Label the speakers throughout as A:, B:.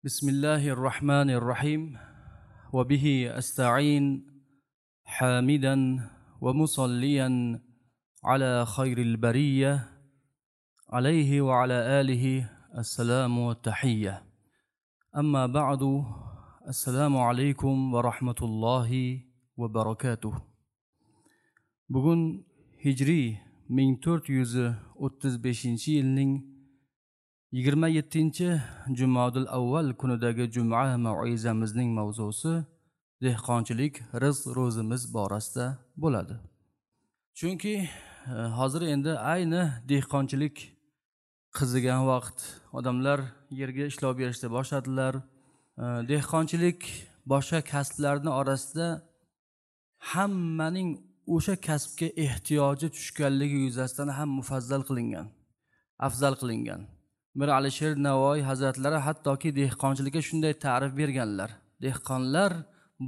A: بسم الله الرحمن الرحيم وبه أستعين حامدا ومصليا على خير البرية عليه وعلى آله السلام والتحية أما بعد السلام عليكم ورحمة الله وبركاته. Bugun Hijriy 1435-yilning 27 Jumodil avval kunidagi juma mauizamizning mavzusi dehqonchilik rizq ro'zimiz borasida bo'ladi. Chunki hozir endi ayni dehqonchilik qizigan vaqt, odamlar yerga ishlov berishni boshladilar. Dehqonchilik boshqa kasblarning orasida hammaning o'sha kasbga ehtiyoji tushganligi yuzasidan ham mufazzal qilingan, afzal qilingan. Mir Alisher Navoiy hazratlari hattoki dehqonchilikka shunday ta'rif berganlar. Dehqonlar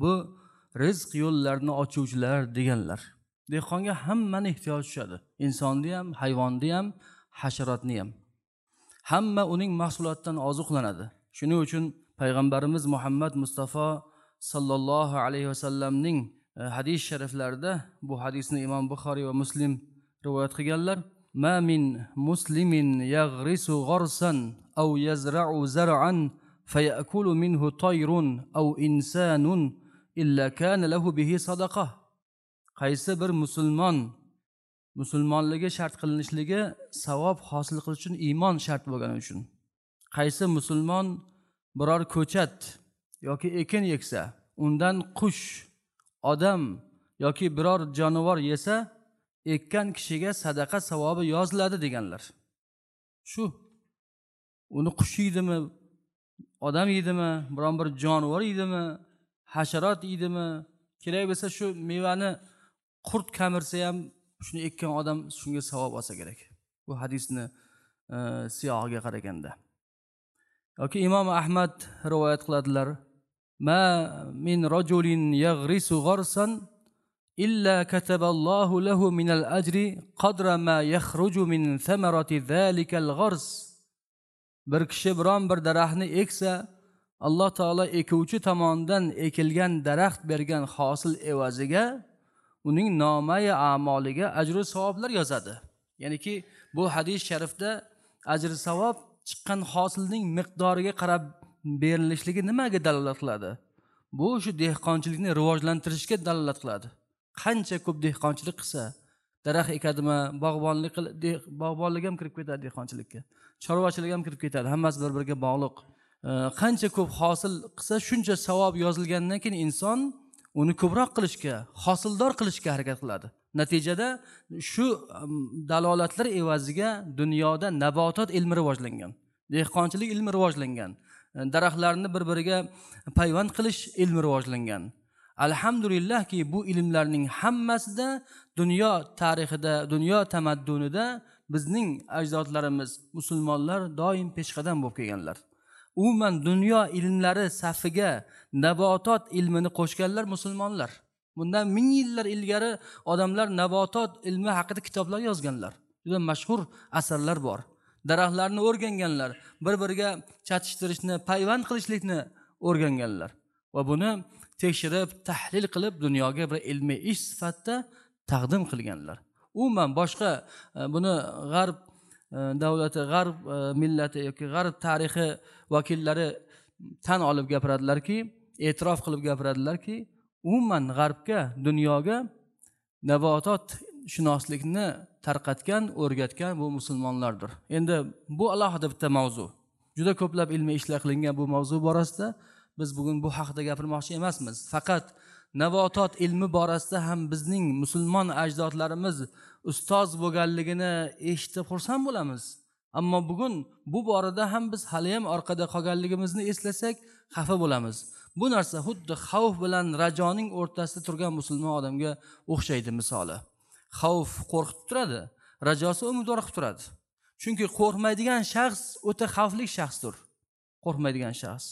A: bu rizq yo'llarini ochuvchilar deganlar. Dehqonga hammani ehtiyoji tushadi. Insonni ham, hayvonni ham, hasharotni ham. Hamma uning mahsulotidan oziqlanadi. Shuning uchun payg'ambarimiz Muhammad Mustafa sallallohu alayhi vasallamning hadis shariflarida, bu hadisni Imom Buxoriy va Muslim rivoyat qilganlar: ما من مسلم يغرس غرسا أو يزرع زرعا فيأكل منه طير أو إنسان إلا كان له به صدقة. Qaysi bir musulmon, musulmonligi shart qilinishligi savob hosil qilish uchun iymon shart bo'lgani uchun, qaysi musulmon biror ko'chat yoki ekin eksa, undan qush, odam yoki biror jonivor yesa, ekkan kishiga sadaqa savobi yoziladi deganlar. Shu uni qush yeydimi, odam yeydimi, biron bir jonivor yeydimi, hasharot yeydimi, kerak bo'lsa shu mevani qurt kamirsa ham shuni ekkan odam shunga savob olsa kerak. Bu hadisni siyog'iga qaraganda. Yoki Imom Ahmad rivoyat qiladilar: Ma min rajulin yaghrisu gharsan illa kataballohu lahu minal ajri qadra ma yakhruju min thamarati zalikal ghars. Bir kishi biron bir daraxtni eksa, Alloh taolo ekuvchi tomonidan ekilgan daraxt bergan hosil evaziga uning nomai a'moliga ajru savoblar yozadi. Ya'niki bu hadis sharifda ajr savob chiqqan hosilning miqdoriga qarab berilishligi nimaga dalolat qiladi? Bu shu dehqonchilikni rivojlantirishga dalolat qiladi. Qancha ko'p dehqonchilik qilsa, daraxt ekadimi, bog'bonlik, bog'bonlik ham kirib ketadi dehqonchilikka, chorvachilik ham kirib ketadi, hammasi bir-biriga bog'liq. Qancha ko'p hosil qilsa, shuncha savob yozilgandan keyin inson uni ko'proq qilishga, hosildor qilishga harakat qiladi. Natijada shu dalolatlar evaziga dunyoda nabotot ilmi rivojlangan, dehqonchilik ilmi rivojlangan, daraxtlarni bir-biriga payvand qilish ilmi rivojlangan. Alhamdulillahki bu ilmlarning hammasida dunyo tarixida, dunyo tamaddunida bizning ajdodlarimiz musulmonlar doim peshqadam bo'lib kelganlar. Umuman dunyo ilmlari safiga nabotot ilmini qo'shganlar musulmonlar. Bundan ming yillar ilgari odamlar nabotot ilmi haqida kitoblar yozganlar. Juda mashhur asarlar bor. Daraxtlarni o'rganganlar, bir-biriga chatishtirishni, payvand qilishlikni o'rganganlar va buni tekshirib, tahlil qilib dunyoga bir ilmiy ish sifatida taqdim qilganlar. Umuman boshqa buni g'arb davlati, g'arb millati yoki g'arb tarixi vakillari tan olib gapiradilarki, e'tirof qilib gapiradilarki, umuman g'arbga, dunyoga nabotot shunoslikni tarqatgan, o'rgatgan bu musulmonlardir. Endi bu alohida bitta mavzu. Juda ko'plab ilmiy ishlar qilingan bu mavzu borasida. Biz bugun bu haqida gapirmoqchi emasmiz. Faqat nabotot ilmi borasida ham bizning musulmon ajdodlarimiz ustoz bo'lganligini eshitib xursand bo'lamiz. Ammo bugun bu borada ham biz hali ham orqada qolganligimizni eslasak xafa bo'lamiz. Bu narsa xuddi xavf bilan rajoning o'rtasida turgan musulmon odamga o'xshaydi misoli. Xavf qo'rqitib turadi, rajosi umidvor qilib turadi. Chunki qo'rqmaydigan shaxs o'ta xavfli shaxsdir. Qo'rqmaydigan shaxs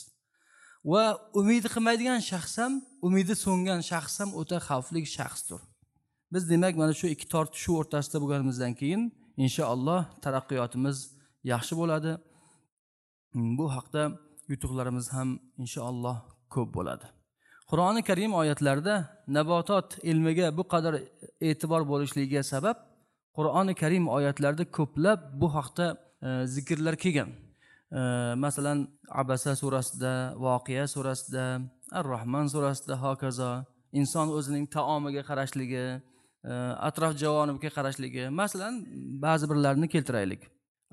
A: va umid qilmaydigan shaxs ham, umidi so'ngan shaxs ham o'ta xavfli shaxsdir. Biz demak mana shu ikki tortishuv o'rtasida bo'lganimizdan keyin inshaalloh taraqqiyotimiz yaxshi bo'ladi. Bu haqda yutuqlarimiz ham inshaalloh ko'p bo'ladi. Qur'oni Karim oyatlarida nabotot ilmiga bu qadar e'tibor bo'lishligiga sabab Qur'oni Karim oyatlarida ko'plab bu haqda zikrlar kelgan. Masalan, Abasa surasida, Voqea surasida, Ar-Rahman surasida hokazo inson o'zining taomiga qarashligi, atrof javonibga qarashligi, masalan, ba'zi birlarini keltiraylik.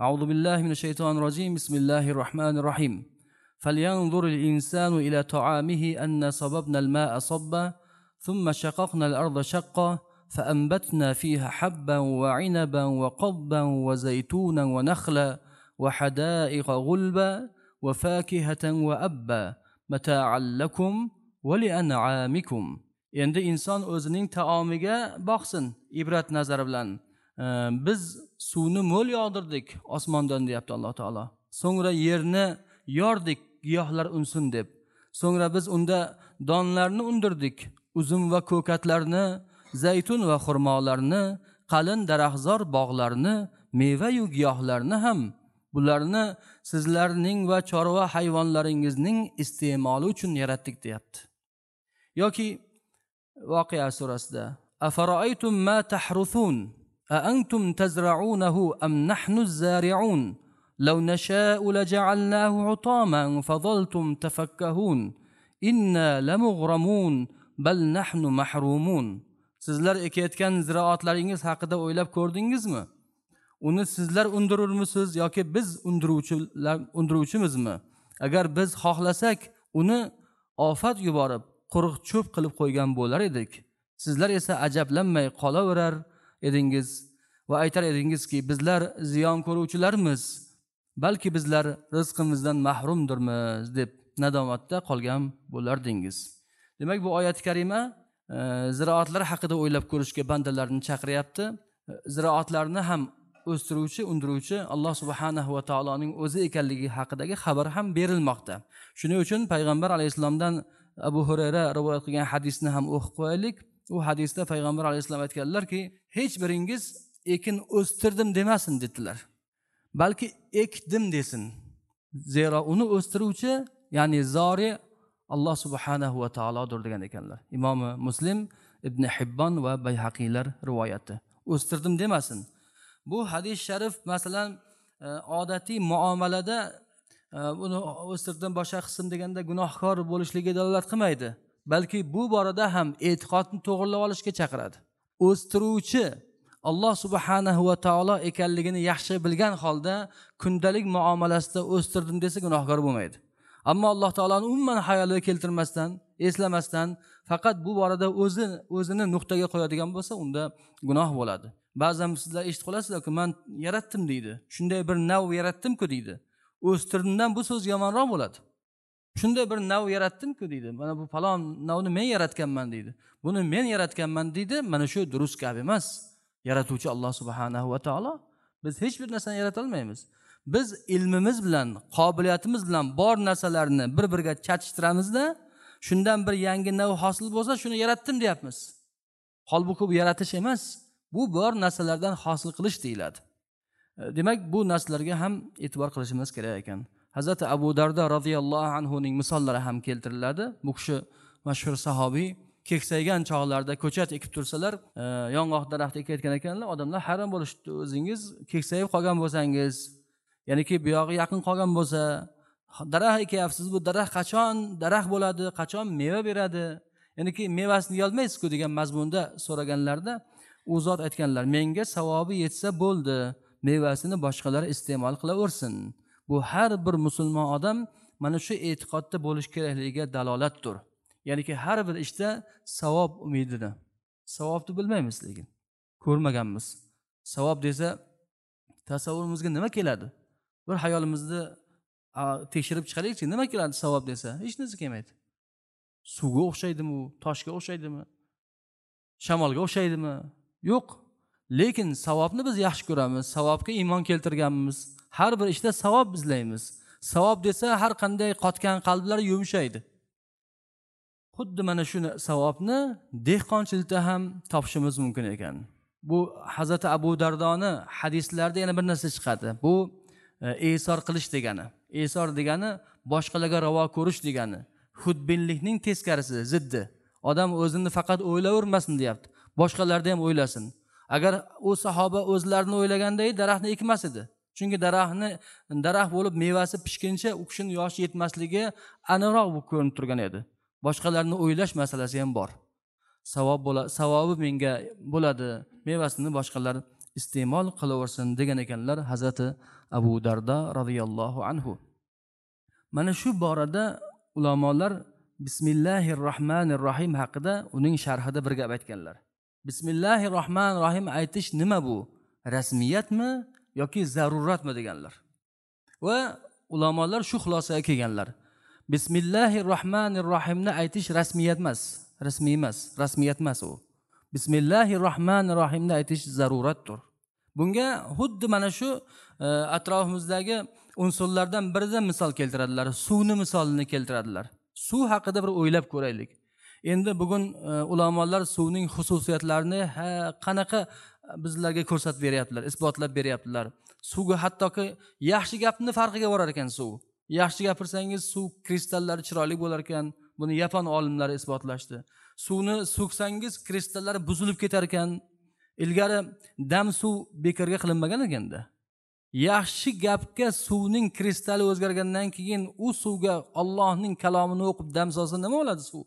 A: A'udhu billahi minash shaytonir rojim. Bismillahir rohmanir rohim. Falyanzuril insanu ila ta'amihi anna sababnal ma'a sabba thumma shaqaqnal arda shaqqa فأنبتنا فيها حبا وعنبا وقضبا وزيتونا ونخلا وحدائق غلبا وفاكهة وأبا متاعا لكم ولأنعامكم. Endi inson o'zining taomiga boqsin ibrat nazari bilan. Biz suvni mo'l yog'dirdik osmondan, deyapti Alloh taolo. So'ngra yerni yordik giyohlar unsin deb. So'ngra biz unda donlarni undirdik, uzum va ko'katlarni, zaytun va xurmolarni, qalin daraxtzor bog'larni, meva-yu giyohlarni ham. Bularni sizlarning va chorva hayvonlaringizning iste'moli uchun yaratdik, deyapti. Yoki Voqea surasida afara'aytum ma tahruthun a antum tazra'unahu am nahnu az-zari'un law nasha'u laja'alnahu 'utaman fadhaltum tafakkahun inna lamughramun bal nahnu mahrumun. Sizlar ekayotgan ziroatlaringiz haqida o'ylab ko'rdingizmi? Uni sizlar undirurmisiz yoki biz undiruvchimizmi? Agar biz xohlasak, uni ofat yuborib, quruq cho'p qilib qo'ygan bo'lar edik. Sizlar esa ajablanmay qolaverar edingiz va aytar edingizki, bizlar ziyon ko'ruvchilarmiz, balki bizlar rizqimizdan mahrumdirmiz deb nadomatda qolgan bo'lardingiz. Demak, bu oyat karima ziroatlar haqida o'ylab ko'rishga bandalarni chaqiryapti. Ziroatlarni ham o'stiruvchi, undiruvchi Alloh subhanahu va taoloning o'zi ekanligi haqidagi xabar ham berilmoqda. Shuning uchun payg'ambar alayhissalomdan Abu Hurayra rivoyat qilgan hadisni ham o'qib qo'yaylik. U hadisda payg'ambar alayhissalom aytganlarki, hech biringiz ekin o'stirdim demasin dedilar, balki ekdim desin. Zero uni o'stiruvchi, ya'ni zori Alloh subhanahu va taolodir degan ekanlar. Imomi Muslim, Ibn Hibbon va Bayhaqiylar rivoyati. O'stirdim demasin. Bu hadis sharif masalan odatiy muomalada buni o'stirdim boshqa qism deganda gunohkor bo'lishligiga dalolat qilmaydi, balki bu borada ham e'tiqodni to'g'rilab olishga chaqiradi. O'stiruvchi Alloh subhanahu va taolo ekanligini yaxshi bilgan holda kundalik muomalasida o'stirdim desa gunohkor bo'lmaydi. Ammo Alloh taoloni umuman xayoliga keltirmasdan, eslamasdan faqat bu borada o'zini nuqtaga qo'yadigan bo'lsa, unda gunoh bo'ladi. Ba'zan sizlar eshitib qolasizlar-ku, men yaratdim deydi. Shunday bir nav yaratdim-ku deydi. O'stirdimdan bu so'z yomonroq bo'ladi. Shunday bir nav yaratdim-ku deydi. Mana bu falon navni men yaratganman deydi. Buni men yaratganman deydi. Mana shu durust gap emas. Yaratuvchi Alloh subhanahu va taolo. Biz hech bir narsani yarata olmaymiz. Biz ilmimiz bilan, qobiliyatimiz bilan bor narsalarni bir-biriga chatishtiramizda, shundan bir yangi nav hosil bo'lsa, shuni yaratdim deyapmiz. Holbuki bu yaratish emas, bu bor narsalardan hosil qilish deyiladi. Demak, bu narsalarga ham e'tibor qilishimiz kerak ekan. Hazrati Abu Dardo radhiyallohu anhu ning misollari ham keltiriladi. Bu kishi mashhur sahobiy, keksaygan chog'larda ko'chat ekib tursalar, yong'oq daraxti ekayotgan ekanlar, odamlar hayron bo'lishdi. O'zingiz keksayib qolgan bo'lsangiz, ya'niki bu yog'i yaqin qolgan bo'lsa, daraxt ekyapsiz, bu daraxt qachon daraxt bo'ladi, qachon meva beradi, ya'niki mevasini yeyolmaysiz-ku degan mazmunda so'raganlarda u zot aytganlar, menga savobi yetsa bo'ldi, mevasini boshqalar iste'mol qilaversin. Bu har bir musulmon odam mana shu e'tiqodda bo'lish kerakligiga dalolatdir. Ya'niki har bir ishda savob umidida. Savobni bilmaymiz lekin, ko'rmaganmiz. Savob desa tasavvurimizga nima keladi? Bir xayolimizni tekshirib chiqaraylikchi, nima keladi savob desa? Hech narsa kelmaydi. Suvga o'xshaydimi u, toshga o'xshaydimi, shamolga o'xshaydimi? Yo'q. Lekin savobni biz yaxshi ko'ramiz, savobga iymon keltirganmiz. Har bir ishda savob izlaymiz. Savob desa har qanday qotgan qalblar yumshaydi. Xuddi mana shu savobni dehqonchilikda ham topishimiz mumkin ekan. Bu Hazrati Abu Dardoni hadislarida yana bir narsa chiqadi. Bu esor qilish degani. Esor degani boshqalarga ravo ko'rish degani. Xudbinlikning teskarisi, ziddi. Odam o'zini faqat o'ylavermasin deyapti. Boshqalarni ham o'ylasin. Agar u sahoba o'zlarini o'ylaganda edi, daraxtni ekmas edi. Chunki daraxt bo'lib mevasi pishguncha u kishining yoshi yetmasligi aniqroq bo'lib ko'rinib turgan edi. Boshqalarni o'ylash masalasi ham bor. Savob savobi menga bo'ladi, mevasini boshqalar iste'mol qilaversin degan ekanlar Hazrati Abu Darda radhiyallohu anhu. Mana shu borada ulamolar Bismillahirrohmanirrohim haqida uning sharhida bir gap aytganlar. Bismillahirrohmanirrohim aytish nima bu? Rasmiyatmi yoki zaruratmi deganlar. Va ulamolar shu xulosaga kelganlar. Bismillahirrohmanirrohimni aytish rasmiyat emas, rasmiy emas, rasmiyat emas u. Bismillahirrohmanirrohimni aytish zaruratdir. Bunga xuddi mana shu atrofimizdagi unsurlardan biridan misol keltiradilar. Suvni misolini keltiradilar. Suv haqida bir o'ylab ko'raylik. Endi bugun ulamolar suvning xususiyatlarini qanaqa bizlarga ko'rsatib beryaptilar, isbotlab beryaptilar. Suvga hattoki yaxshi gapni farqiga borar ekan suv. Yaxshi gapirsangiz suv kristallari chiroyli bo'lar ekan. Buni yapon olimlari isbotlashdi. Suvni so'ksangiz kristallari buzilib ketar ekan. Ilgari dam suv bekorga qilinmagan ekanda. Yaxshi gapga suvning kristali o'zgargandan keyin u suvga Allohning kalomini o'qib dam solsa nima bo'ladi suv?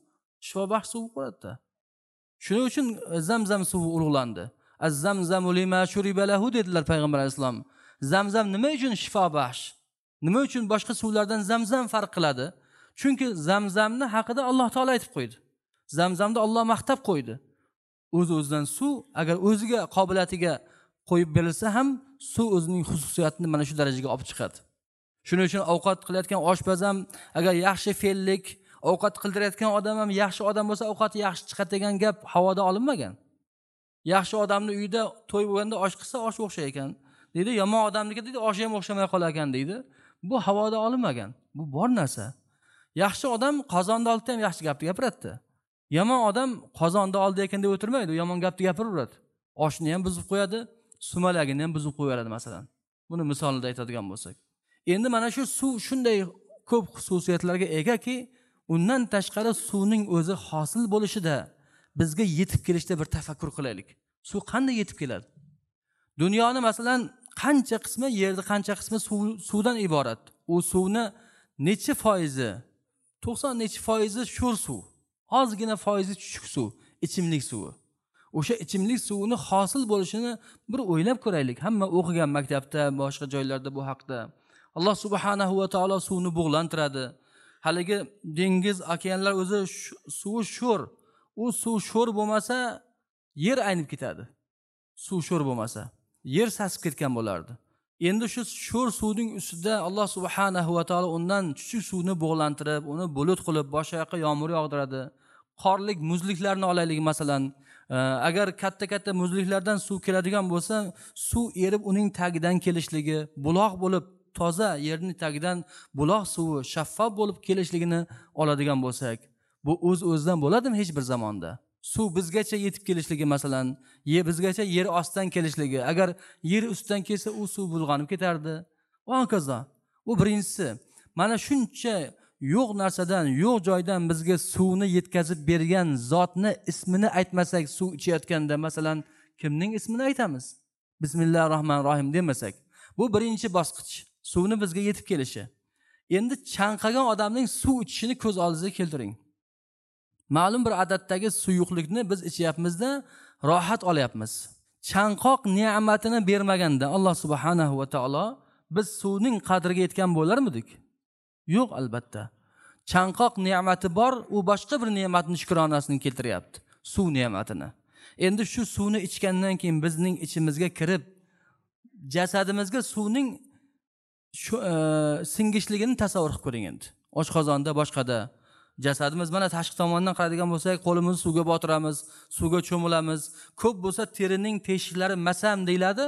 A: Shifobaxsh suv bo'ladi-da. Shuning uchun Zamzam suvi ulug'landi. Az-zamzamu lima shuriba lahu dedilar payg'ambar alayhissalom. Zamzam nima uchun shifobaxsh? Nima uchun boshqa suvlardan Zamzam farq qiladi? Chunki Zamzamni haqida Alloh taolo aytib qo'ydi. Zamzamni Alloh maqtab qo'ydi. O'z-o'zidan suv agar o'ziga qobiliyatiga qo'yib berilsa ham suv o'zining xususiyatini mana shu darajaga olib chiqadi. Shuning uchun ovqat qilayotgan oshpaz ham agar yaxshi fe'llik, ovqat qildirayotgan odam ham yaxshi odam bo'lsa ovqati yaxshi chiqadi degan gap havoda olinmagan. Yaxshi odamni uyida to'y bo'lganda osh qilsa osh o'xshar ekan deydi, yomon odamniki deydi oshi ham o'xshamay qolar ekan deydi. Bu havoda olinmagan. Bu bor narsa. Yaxshi odam qozonni oldida ham yaxshi gapni gapiradi. Yomon odam qozonni oldida ekan deb o'tirmaydi, yomon gapni gapiraveradi. Oshni ham buzib qo'yadi, sumalagini ham buzib qo'yaveradi masalan. Buni misolida aytadigan bo'lsak. Endi mana shu suv shunday ko'p xususiyatlarga egaki, undan tashqari suvning o'zi hosil bo'lishida bizga yetib kelishda bir tafakkur qilaylik. Suv qanday yetib keladi? Dunyoni masalan qancha qismi yerda, qancha qismi suvdan iborat. U suvni necha foizi? 90 necha foizi sho'r suv. Ozgina foizi chuchuk suv, ichimlik suvi. O'sha ichimlik suvini hosil bo'lishini bir o'ylab ko'raylik. Hamma o'qigan maktabda, boshqa joylarda bu haqda. Alloh subhanahu va taolo suvni bug'lantiradi. Haligi dengiz, okeanlar o'zi suvi sho'r. U suv sho'r bo'lmasa yer aynib ketadi. Suv sho'r bo'lmasa yer sasib ketgan bo'lardi. Endi shu sho'r suvning ustida Alloh subhanahu va taolo undan chuchuk suvni bug'lantirib, uni bulut qilib, boshqa yoqqa yomg'ir yog'diradi. Qorlik muzliklarni olaylik masalan. Agar katta-katta muzliklardan suv keladigan bo'lsa, suv erib uning tagidan kelishligi, buloq bo'lib toza yerning tagidan buloq suvi shaffof bo'lib kelishligini oladigan bo'lsak, bu o'z-o'zidan bo'ladimi hech bir zamonda? Suv bizgacha yetib kelishligi masalan, bizgacha yer ostidan kelishligi, agar yer ustidan kelsa u suv bulg'anib ketardi. Va hokazo. Bu birinchisi. Mana shuncha yo'q narsadan, yo'q joydan bizga suvni yetkazib bergan zotni ismini aytmasak, suv ichayotganda masalan kimning ismini aytamiz? Bismillahirrohmanirrohim demasak. Bu birinchi bosqich, suvni bizga yetib kelishi. Endi chanqagan odamning suv ichishini ko'z oldingizga keltiring. Ma'lum bir adatdagi suyuqlikni biz ichyapmizda, rohat olyapmiz. Chanqoq ne'matini bermaganda Alloh subhanahu va taolo biz suvning qadriga yetgan bo'larmidik? Yo'q, albatta. Chanqoq ne'mati bor, u boshqa bir ne'matning shukronasini keltiryapti, suv ne'matini. Endi shu suvni ichgandan keyin bizning ichimizga kirib, jasadimizga suvning shu singishligini tasavvur qilib ko'ring endi. Oshqozonda, boshqada jasadimiz mana tashqi tomondan qaraydigan bo'lsak, qo'limizni suvga botiramiz, suvga cho'milamiz. Ko'p bo'lsa terining teshiklari masam deyiladi.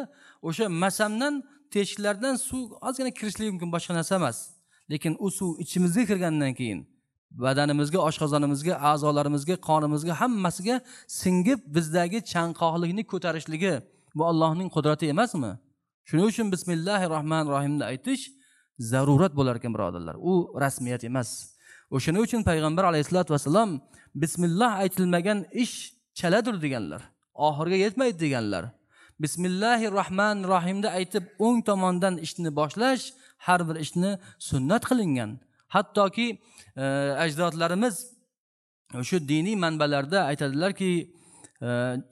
A: O'sha masamdan, teshiklardan suv ozgina kirishligi mumkin, boshqa narsa emas. Lekin u suv ichimizga kirgandan keyin badanimizga, oshqozonimizga, a'zolarimizga, qonimizga, hammasiga singib bizdagi chanqoqlikni ko'tarishligi bu Allohning qudrati emasmi? Shuning uchun bismillahir rohmanir rohimni aytish zarurat bo'lar ekan, birodarlar. U rasmiyat emas. O'shaning uchun payg'ambar alayhissalatu vassalam bismillah aytilmagan ish chaladir deganlar. Oxiriga yetmaydi deganlar. Bismillahir rohmanir rohimni aytib o'ng tomondan ishni boshlash har bir ishni sunnat qilingan. Hattoki ajdodlarimiz shu diniy manbalarda aytadilarki,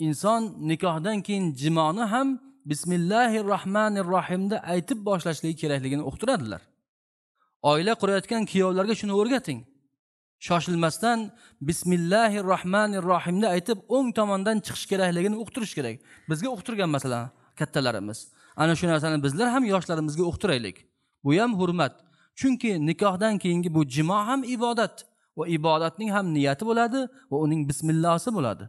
A: inson nikohdan keyin jimoni ham bismillahir rohmanir rohimni aytib boshlashligi kerakligini uqtiradilar. Oila qurayotgan kuyovlarga shuni o'rgating. Shoshilmasdan bismillahir rohmanir rohimni aytib o'ng tomondan chiqish kerakligini uqtirish kerak. Bizga uqtirgan masalan kattalarimiz. Ana shu narsani bizlar ham yoshlarimizga uqtiraylik. Bu ham hurmat. Chunki nikohdan keyingi bu jimo ham ibodat va ibodatning ham niyati bo'ladi va uning bismillohsi bo'ladi.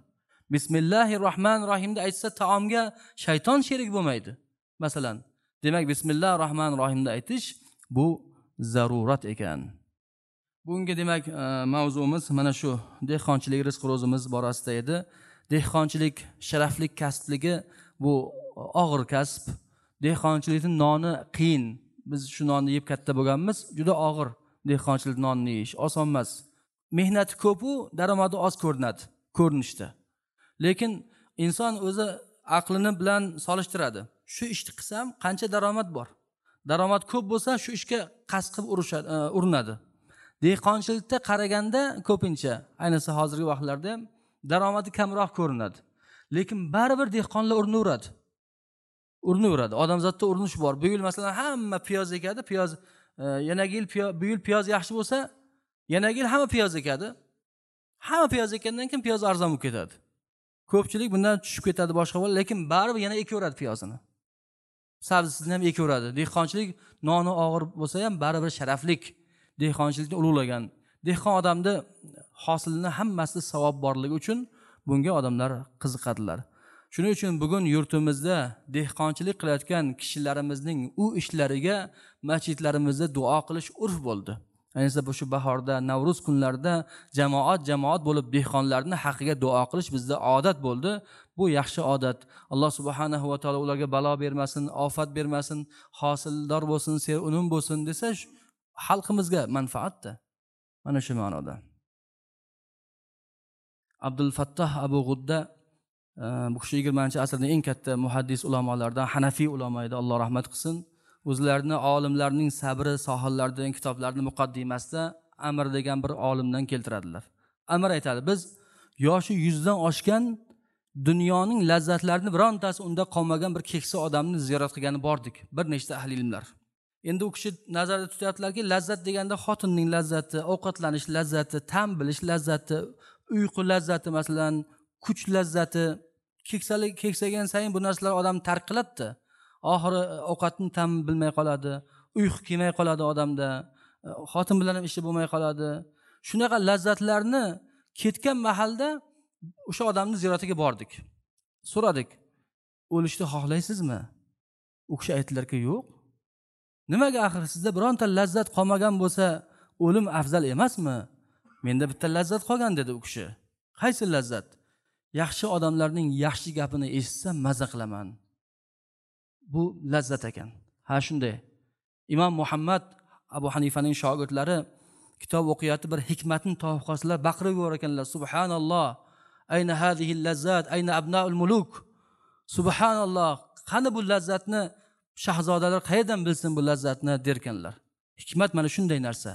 A: Bismillahir rohmanir rohimni aytsa taomga shayton sherik bo'lmaydi. Masalan, demak bismillahir rohmanir rohimni aytish bu zarurat ekan. Bugungi demak mavzumiz mana shu dehqonchilik rizq ro'zimiz borasida edi. Dehqonchilik sharafli kasbligi, bu og'ir kasb. Dehqonchilikning noni qiyin. Biz shu nonni yeb katta bo'lganmiz. Juda og'ir dehqonchilik nonni yeyish, oson emas. Mehnati ko'p u, daromadi oz ko'rinadi ko'rinishda. Lekin inson o'zi aqlini bilan solishtiradi. Shu ishni qilsam qancha daromad bor? Daromad ko'p bo'lsa shu ishga qasd qilib urinadi. Dehqonchilikda qaraganda ko'pincha, ayniqsa hozirgi vaqtlarda ham daromadi kamroq ko'rinadi. Lekin baribir dehqonlar urinaveradi. Urinaveradi. Odamzodda urinish bor. Bu yil masalan hamma piyoz ekadi, piyoz yanagi yil bu yil piyoz yaxshi bo'lsa, yanagi yil hamma piyoz ekadi. Hamma piyoz ekkandan keyin piyoz arzon bo'lib ketadi. Ko'pchilik bundan tushib ketadi boshqa bo'ladi, lekin baribir yana ekaveradi piyozini. Sabzisini ham ekaveradi. Dehqonchilik noni og'ir bo'lsa ham baribir sharaflik. Dehqonchilikni ulug'lagan. Dehqon odamni hosilini hammasi savob borligi uchun bunga odamlar qiziqadilar. Shuning uchun bugun yurtimizda dehqonchilik qilayotgan kishilarimizning u ishlariga masjidlarimizda duo qilish urf bo'ldi. Ayniqsa bu shu bahorda, Navro'z kunlarida jamoat jamoat bo'lib dehqonlarning haqqiga duo qilish bizda odat bo'ldi. Bu yaxshi odat. Alloh subhanahu va taolo ularga balo bermasin, ofat bermasin, hosildor bo'lsin, serunum bo'lsin desa xalqimizga manfaatda. Mana shu ma'noda. Abdul Fattoh Abu G'udda bu kishi 20-asrning eng katta muhaddis ulamolaridan, Hanafiy ulamo edi, Alloh rahmat qilsin. O'zlarini olimlarning sabri sohillaridan kitoblarning muqaddimasida Amr degan bir olimdan keltiradilar. Amr aytadi, biz yoshi 100 dan oshgan dunyoning lazzatlarini birontasi unda qolmagan bir keksa odamni ziyorat qilgani bordik, bir nechta ahli ilmlar. Endi u kishi nazarda tutyaptilarki, lazzat deganda xotinning lazzati, ovqatlanish lazzati, ta'm bilish lazzati, uyqu lazzati, masalan, kuch lazzati, keksalik keksagan sayin bu narsalar odamni tark qiladi. Oxiri ovqatni ta'm bilmay qoladi, uyqu kelmay qoladi odamda, xotin bilan ham ishi bo'lmay qoladi. Shunaqa lazzatlarni ketgan mahalda o'sha odamni ziyoratiga bordik. So'radik, o'lishni xohlaysizmi? U kishi aytdilarki, yo'q. Nimaga axir sizda bironta lazzat qolmagan bo'lsa, o'lim afzal emasmi? Menda bitta lazzat qolgan dedi u kishi. Qaysi lazzat? Yaxshi odamlarning yaxshi gapini eshitsam maza qilaman. Bu lazzat ekan. Ha shunday. Imom Muhammad Abu Hanifaning shogirdlari kitob o'qiyotib bir hikmatni topib qolsalar baqirib yuborar ekanlar. Subhanalloh, ayna hazihi lazzat, ayna abnaul muluk. Subhanalloh, qani bu lazzatni shahzodalar qayerdan bilsin bu lazzatni derkanlar. Hikmat mana shunday narsa.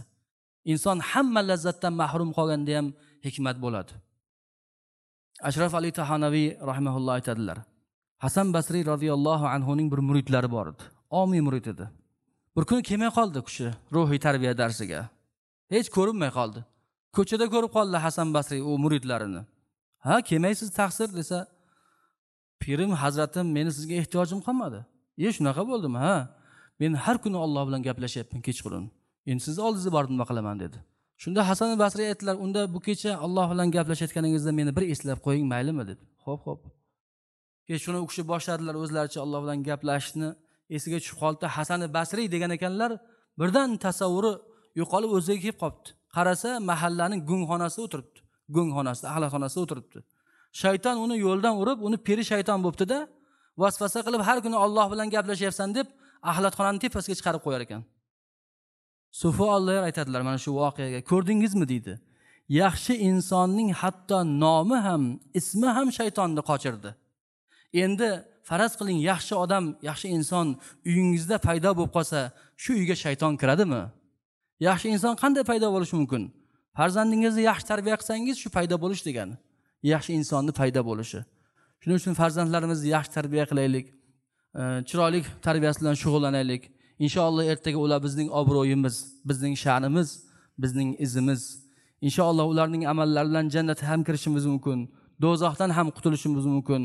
A: Inson hamma lazzatdan mahrum qolganda ham hikmat bo'ladi. Ashraf Ali Tahanaviy rahimahulloh aytadilar. Hasan Basriy radhiyallohu anhu ning bir muridlari bor edi. Omiy murid edi. Bir kuni kelmay qoldi kishi ruhiy tarbiya darsiga. Hech ko'rinmay qoldi. Ko'chada ko'rib qoldi Hasan Basriy u muridlarini. Ha, kelmaysiz taqsir desa, pirim hazratim, meni sizga ehtiyojim qolmadi. Shunaqa bo'ldimi? Ha. Men har kuni Alloh bilan gaplashyapman kechqurun. Endi sizni oldingizga borib nima qilaman dedi. Shunda Hasan Basriy aytdilar, unda bu kecha Alloh bilan gaplashayotganingizda meni bir eslab qo'ying, maylimi dedi. Xo'p, xo'p. Kechqurun u kishi boshladilar o'zlaricha Alloh bilan gaplashishni. Esiga tushib qoldi Hasan Basriy degan ekanlar, birdan tasavvuri yo'qolib o'ziga kelib qolibdi. Qarasa mahallaning go'ngxonasida o'tiribdi. Go'ngxonasida, axlatxonasida o'tiribdi. Shayton uni yo'ldan urib, uni peri shayton bo'pti-da, Vasvasa qilib har kuni Alloh bilan gaplashyapsan deb axlatxonaning tepasiga chiqarib qo'yar ekan. Sufi Alloh aytadilar mana shu voqeaga, ko'rdingizmi deydi. Yaxshi insonning hatto nomi ham, ismi ham shaytonni qochirdi. Endi faraz qiling, yaxshi odam, yaxshi inson uyingizda paydo bo'lib qolsa, shu uyga shayton kiradimi? Yaxshi inson qanday paydo bo'lishi mumkin? Farzandingizni yaxshi tarbiya qilsangiz, shu paydo bo'lish degani. Yaxshi insonni paydo bo'lishi. Shuning uchun farzandlarimizni yaxshi tarbiya qilaylik, chiroyli tarbiyasi bilan shug'ullanaylik. Inshaalloh ertaga ular bizning obro'yimiz, bizning sha'nimiz, bizning izimiz. Inshaalloh ularning amallari bilan jannatga ham kirishimiz mumkin, do'zaxdan ham qutulishimiz mumkin.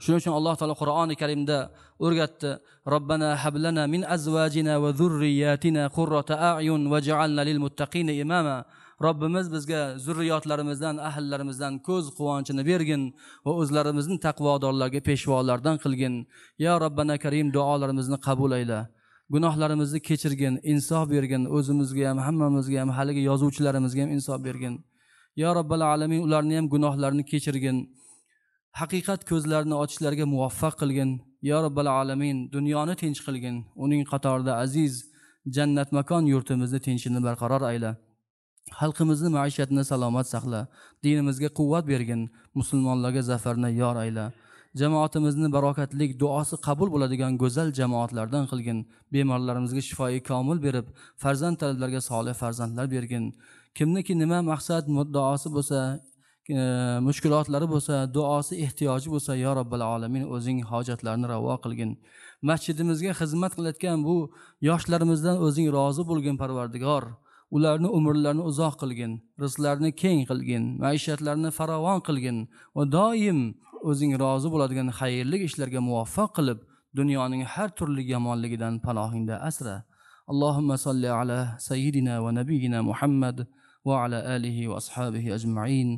A: Shuning uchun Alloh taolo Qur'oni Karimda o'rgatdi: Robbana hablana min azvajina va zurriyatina qurrata a'yun waj'alna lil muttaqina imama. Robbimiz bizga zurriyotlarimizdan, ahllarimizdan ko'z quvonchini bergin va o'zlarimizni taqvodorlarga peshvolardan qilgin. Ya Robbana Karim, duolarimizni qabul ayla. Gunohlarimizni kechirgin, insof bergin, o'zimizga ham, hammamizga ham, haligi yozuvchilarimizga ham insof bergin. Ya Robbal alamin, ularni ham gunohlarini kechirgin. Haqiqat ko'zlarini ochishlariga muvaffaq qilgin. Ya Robbal alamin, dunyoni tinch qilgin. Uning qatorida aziz jannat makon yurtimizni tinchini barqaror ayla. Xalqimizni maishatini salomat saqla. Dinimizga quvvat bergin, musulmonlarga zafarni yor ayla. Jamoatimizni barokatlik duosi qabul bo'ladigan go'zal jamoatlardan qilgin. Bemorlarimizga shifoi komil berib, farzand talablarga solih farzandlar bergin. Kimniki nima maqsad muddaosi bo'lsa, mushkulotlari bo'lsa, duosi ehtiyoji bo'lsa, ya Robbal alamin o'zing hojatlarini ravo qilgin. Masjidimizga xizmat qilayotgan bu yoshlarimizdan o'zing rozi bo'lgin Parvardigor. Ularni umrlarini uzoq qilgin, rizqlarini keng qilgin, maishatlarini farovon qilgin va doim o'zing rozi bo'ladigan xayrli ishlarga muvaffaq qilib, dunyoning har turli yomonligidan panohingda asra. Allohumma solli ala sayyidina va nabiyina Muhammad va ala alihi va ashabihi ajma'in.